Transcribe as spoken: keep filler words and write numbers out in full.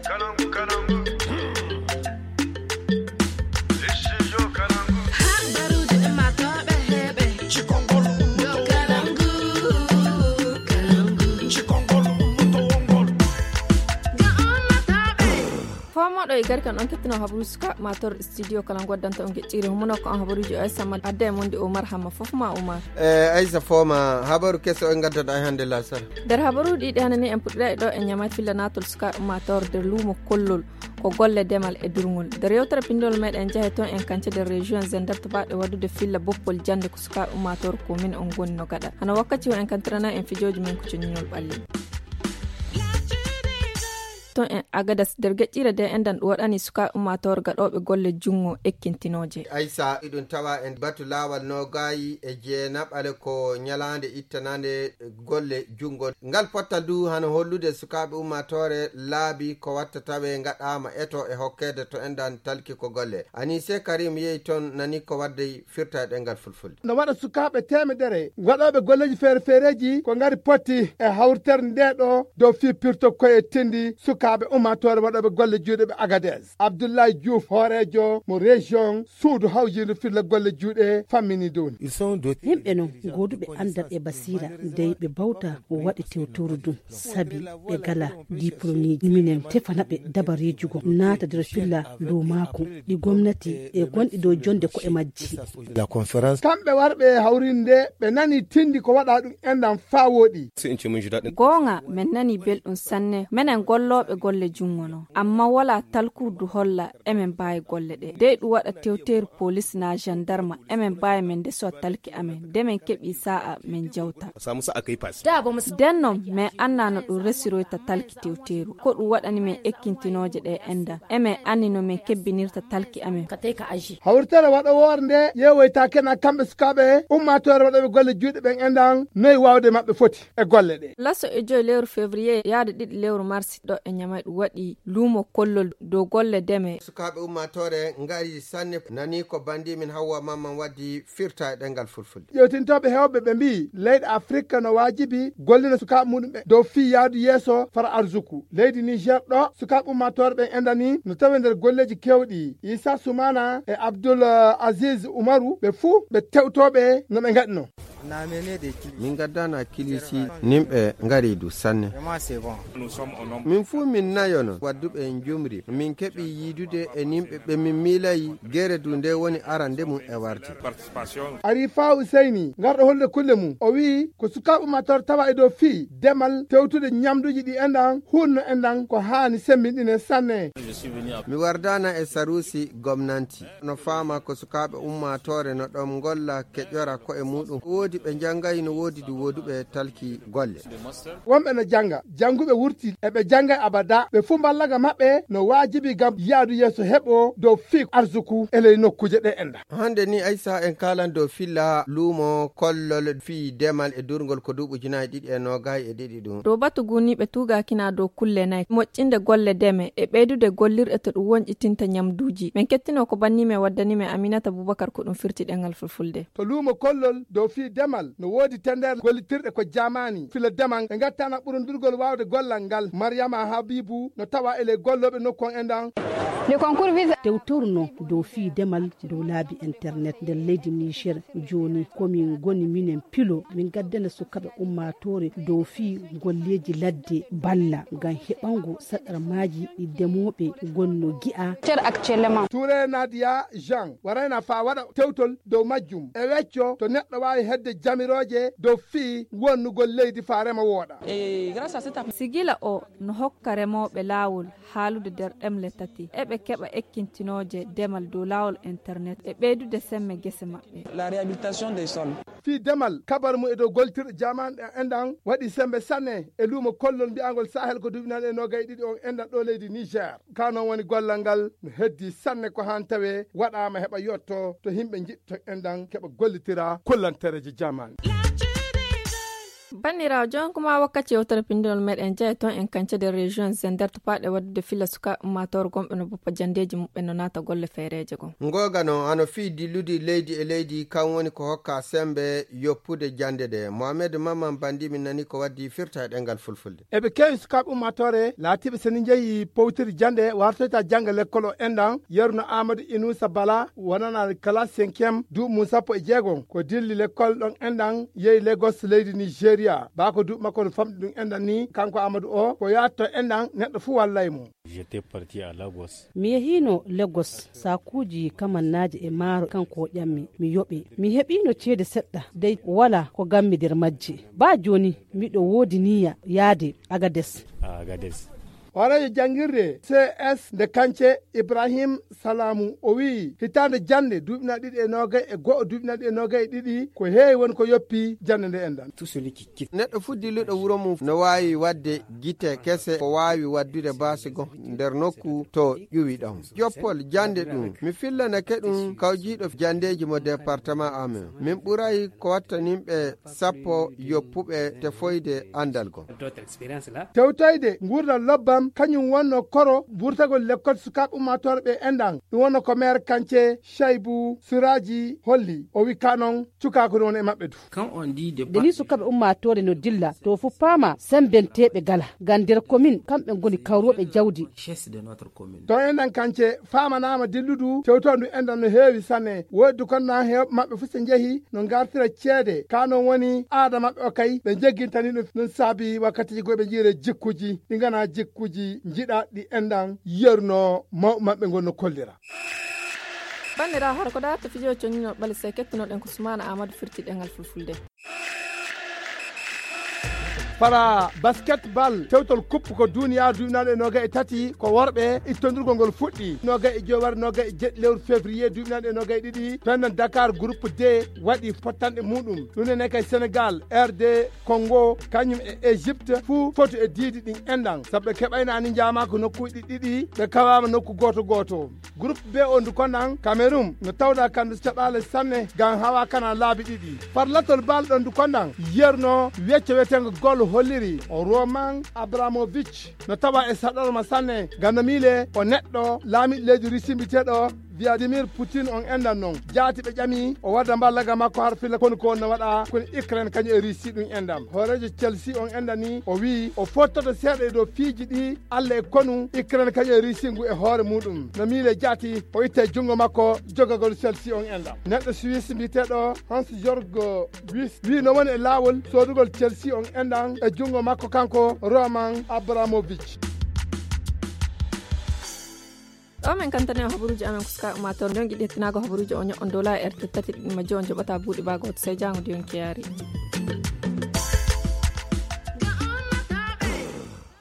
Kalangu, kalangu. Studio Kalangu. Habaruuji ɗi maa tooɓe heɓe. Cikongol ɗo Kalangu, Kalangu. Cikongol ɗo wongol. Ga on ma tooɓe. Foomoɗo e garkan on kettino habaruuji suka ma tor studio Kalangu waddanta on gecciri humuno ko on habaruuji o Aissa Mad adda e monde Omar Hamma fof ma Omar. E Aissa Foma habaru keso en gaddata e hannde lasara. Nder habaruuji ɗiɗi hannde ni en puɗɗiray ɗo e ñamat filla natol suka ummator nder luumo kollol ko golle demal e durngol. Nder yewtere pindol meɗen jahe toon en kance nder région Zender to baɗe waddude filla boppol jannde ko sukaaɓe ummaatoor ko min on ngoni no gaɗa. Hano wakkati o en kantirana en fijooji men ko coñinol ɓalli. Toon en Agadas nder geƴƴire de enɗan ɗum waɗani sukaaɓe ummaatoor gaɗooɓe golle junngo ekkintinooje. Aysa, iɗum tawa en batu laawal noogaayi e jeenaɓale ko ñalaande ittanande golle junngo. Ngal pottal du hano hollude sukaaɓe ummaatoore laabi ko watta tawe ngaɗaama eto e hokkeede to enɗan talki ko golle. Anise Karim yehi toon nani ko wadde firta e ɗemngal fulfulde. No waɗa sukaaɓe teemedere waɗooɓe golleeji feere feereeji ko ngari potti e hawritere nde ɗo dow fii pirto koye tindi sukaaɓe ummaatoore waɗooɓe golle juuɗe ɓe Agadez. Abdoulaye Diouf, hooreejo mo région suudu hawjindu filla golle juuɗe fammini dow ni. Yimɓe non gooduɓe anndal e basiira, dey ɓe bawta o waɗi tewtoru dum, sabi ɓe gala diplômeji. Minen tefana ɓe dabareeji goo, naata nder filla dow maaku, ɗi gomnati e gonɗi dow jonde ko'e majji. Kamɓe warɓe hawrinde, ɓe nani tindi ko waɗa ɗum enɗan faa wooɗi. Goonga, men nani belɗum sanne, menen gollooɓe golle junngo non. Amma wala talkurdu holla emen mbaawi golle ɗe. Dey ɗum waɗa tewteeru polis naa jandarma, emen mbaawi men ndesowa talki amen. De men keɓi saa'a men jawta. Den non, men annaa no ɗum resiroyta talki tewteeru. Ko ɗum waɗani men ekkintinooje ɗe enɗan. Emen anni no men kebbinirta talki amen. Hawritere waɗowoore nde yeewoytaake na kamɓe sukaaɓe ummaatoore waɗooɓe golle juuɗe ɓen enɗan noy waawde maɓɓe foti e golle ɗe. Laso e joy lewru février yaade ɗiɗi lewru mars ɗo e Ñamay ɗum waɗi luumo kollol dow golle deme. Sukaaɓe ummaatoore ngari sanne nani ko bandi min Hawwa Mamman waddi firta e ɗemngal fulfulde. Ƴewtintooɓe heewɓe ɓe mbiyi leyɗe Afrika no waajibi gollina sukaaɓe muɗum ɓe dow fii yaadu yeeso fara arsuku. Leydi Niger ɗo sukaaɓe ummaatoore ɓen enɗani no tawe nder golleeji keewɗi. Isa Sumana e Abdul Aziz Umaru ɓe fuu ɓe tewtooɓe no ɓe ngaɗino. Min gaddana kilisi nimɓe ngari du sanne. Min fuu min nayo non wadduɓe en jumri. Min keɓi yiidude e nimɓe ɓe min miilayi gere du nde woni arande mum e warde. Arifa Useyni ngarɗo hollude kulle mum o wi'i ko sukaaɓe ummaatoore tawa e dow fii demal tewtude ñamduuji ɗi enɗan hunno enɗan ko haani semmbinɗine sanne. Mi wardana e saruusi gomnanti. No faama ko sukaaɓe ummaatoore no ɗon ngolla keƴora ko'e muɗum. Woodi ɓe njanngayi no woodi du wooduɓe talki golle. Wonɓe no jannga, jannguɓe wurti e ɓe janngay abada ɓe fuu mballaga maɓɓe no waajibi ngam yaadu yeeso heɓo dow fii arsuku e ley nokkuuje ɗe enɗan. Hannde ni Aysa en kaalan dow filla luumo kollol fii demal e durngol ko duuɓi ujunaaji ɗiɗi e noogay e ɗiɗi ɗum. Dow batu guniiɓe tuugaakina dow kulle nay moƴƴinde golle deme e ɓeydude gollirɗe to ɗum wonƴitinta ñamduuji. Men kettino ko banni men waddani men Aminata Bubakar ko ɗum firti ɗemngal fulfulde. To luumo kollol dow fii demal no woodi tendeere gollitirɗe ko jaamaani fila demal e ngattana ɓurundurgol waawde gollal ngal. Mariama Habibu no tawa e ley gollooɓe nokku on enɗan. Tewtoru non dow fii demal dow laabi internet nder leydi Niger. Jooni ko min ngoni minen pilo min gaddana sukaaɓe ummaatoore dow fii golleeji ladde balla ngam heɓango saɗarmaaji ɗi demooɓe gonno gi'a. Ture Nadia Jean warayna faa waɗa tewtol dow majjum e wecco to neɗɗo waawi hedde jamirooje dow fii wonnugol leydi faa rema wooɗa. Sigila o no hokka remooɓe laawol haalude nder ɗemle tati, eɓe keɓa ekkintinooje demal dow laawol internet e ɓeydude semme gese maɓɓe. Fii demal kabar mum e dow gollitirɗe jaamaanu ɗe enɗan waɗi semmbe sanne e luumo kollol mbi'angol Sahel ko duuɓi nane e noogay e ɗiɗi on enɗan ɗo leydi Niger. Ka non woni gollal ngal no heddi sanne ko haan tawe waɗaama heɓa yotto to yimɓe njiɗto enɗan keɓa gollitira kullantereeji jaamaanu. Banndiraawo, jooni kuma wakkati yewtere pinndinol meɗen jeya toon en kance nder région Zender to paaɗe waɗude filla sukaaɓe ummaatoore gonɓe no boppa janndeeji muɓɓen no naata golle feereeje goo. Ngooga noon, hano fii dillude leydi e leydi, kan woni ko hokka semmbe yoppude jannde ɗe. Mohamed Maman Bandi min nani ko waddi firta e ɗemngal fulfulde. Eɓe keewi sukaaɓe ummaatoore laatiiɓe so ni njehi powtiri jannde wartoyta jannga lekkol o enɗan, yeru no Amadou Inoussa Bala wonana classe cinquième duuɓi mum sappo e jeegom. Ko dilli lekkol ɗon enɗan yehi Lagos leydi Nigeria. Baa ko duuɓi makko no famɗi ɗum enɗan ni, kanko Amadou o, ko yaatto enɗan neɗɗo fuu wallay mo. J'étais parti à Lagos. Mi yehiino Lagos, saakuuji kamannaaji e maaro kanko o ƴammi, mi yoɓi. Mi heɓiino ceede seɗɗa, dey walaa ko nganmi nder majje. Baa jooni, miɗo woodi niyya yaade Agades. À Agadez. Hooreejo janngirde C S nde Kance, Ibrahim Salamu, o wi'i hitaande jannde duuɓi na ɗiɗi e noogay e go'o, duuɓi na ɗiɗi e noogay e ɗiɗi, ko heewi woni ko yoppi jannde nde enɗan. Tout celui qui quitte. Neɗɗo fuu dilluɗo wuro mum no waawi waɗde gite kese ko waawi waɗdude baasi goo nder nokku to ƴuwi ɗon. Joppol jannde ɗum, mi fillanake ɗum kawjiiɗo janndeeji mo département amen. Min ɓuray ko wattaninɓe sappo yoppuɓe tefoyde anndal goo. Tewtoyde nguurndam lobbam, kañum wonno koro wurtagol lekkol sukaaɓe ummaatoore ɓe enɗan. Ɗum wonno ko maire Kance, Shaibu Suraji, holli. O wi ka noon, cukaaku no woni e maɓɓe du. Quand on dit de nde ni sukaaɓe ummaatoore no dilla, to fof paama, semmbenteeɓe gala. Ngam nder commune, kamɓe ngoni kawrooɓe jawdi. Richesse de notre commune. To enɗan Kance, faamanaama dilludu, tewtoondu enɗan no heewi sanne. Woodi ko na heewɓe maɓɓe fof so njehi, no ngartira ceede. Ka noon woni aada maɓɓe o kay, ɓe jeggintani ɗum. Ɗum saabi wakkatiiji goo ɓe njiyre jikkuji, ɗi ngana jikkuji njiɗa ɗi enɗan yerno mawɓe maɓɓe ngol no kollira. Banndiraawo, hara ko daarta fijo conñinol ɓale, sey kettunoɗen ko Sumaana Aamadu firti ɗemngal fulfulde. Fara basketball, tewtol kuppu ko duniya duuɓi naanɗe noogay e tati, ko worɓe, ittondirgol ngol fuɗɗi noogay e joy wari noogay e jeɗɗi lewru février duuɓi naanɗe noogay e ɗiɗi. To enɗan Dakar, groupe D waɗi pottanɗe muɗum. Ɗum ene kay Sénégal, R D Congo, kañum e Égypte, fuu foti e diidi ɗin enɗan. Sabu ɓe keɓaynaani njaamaako nokkuuji ɗiɗi, ɓe kawaama nokku gooto gooto. Groupe B o ndu konɗan, Cameroun no tawda kandu caɗaale sanne, ngam hawa kana laabi ɗiɗi. Farlatol bal ɗon ndu konɗan, yerno wecce weteengo gol holliri, o Roman Abramovich no tawa e saɗorma sanne, ngam no miile o neɗɗo laamiɗo leydi Russie mbiyeteeɗo Vladimir Putin on enɗan non. Jaati ɓe ƴami o wadda mballaga makko har filla konu ko wonno waɗa koni Ukraine kañum e Russie ɗum enɗam. Hooreejo Chelsea on enɗan ni o wi'i o fottoto seeɗa e dow piiji ɗi Alla e konu Ukraine kañum e Russie ngu e hoore muɗum. No miile jaati o itta e junngo makko jogagol Chelsea on enɗam. Neɗɗo Suisse mbiyeteeɗo Hans Jorg Wies wi'i no woni e laawol soodugol Chelsea on enɗan e junngo makko kanko Roman Abramovich. Ɗo min kantani on habaruuji amen ko sukaaɓe ummaatoore. Nden giɗi hettinaago habaruuji o ño'on dola e R T tati ɗiɗi majji on joɓata buuɗi baago hoto sey jaango diyon kiyaari.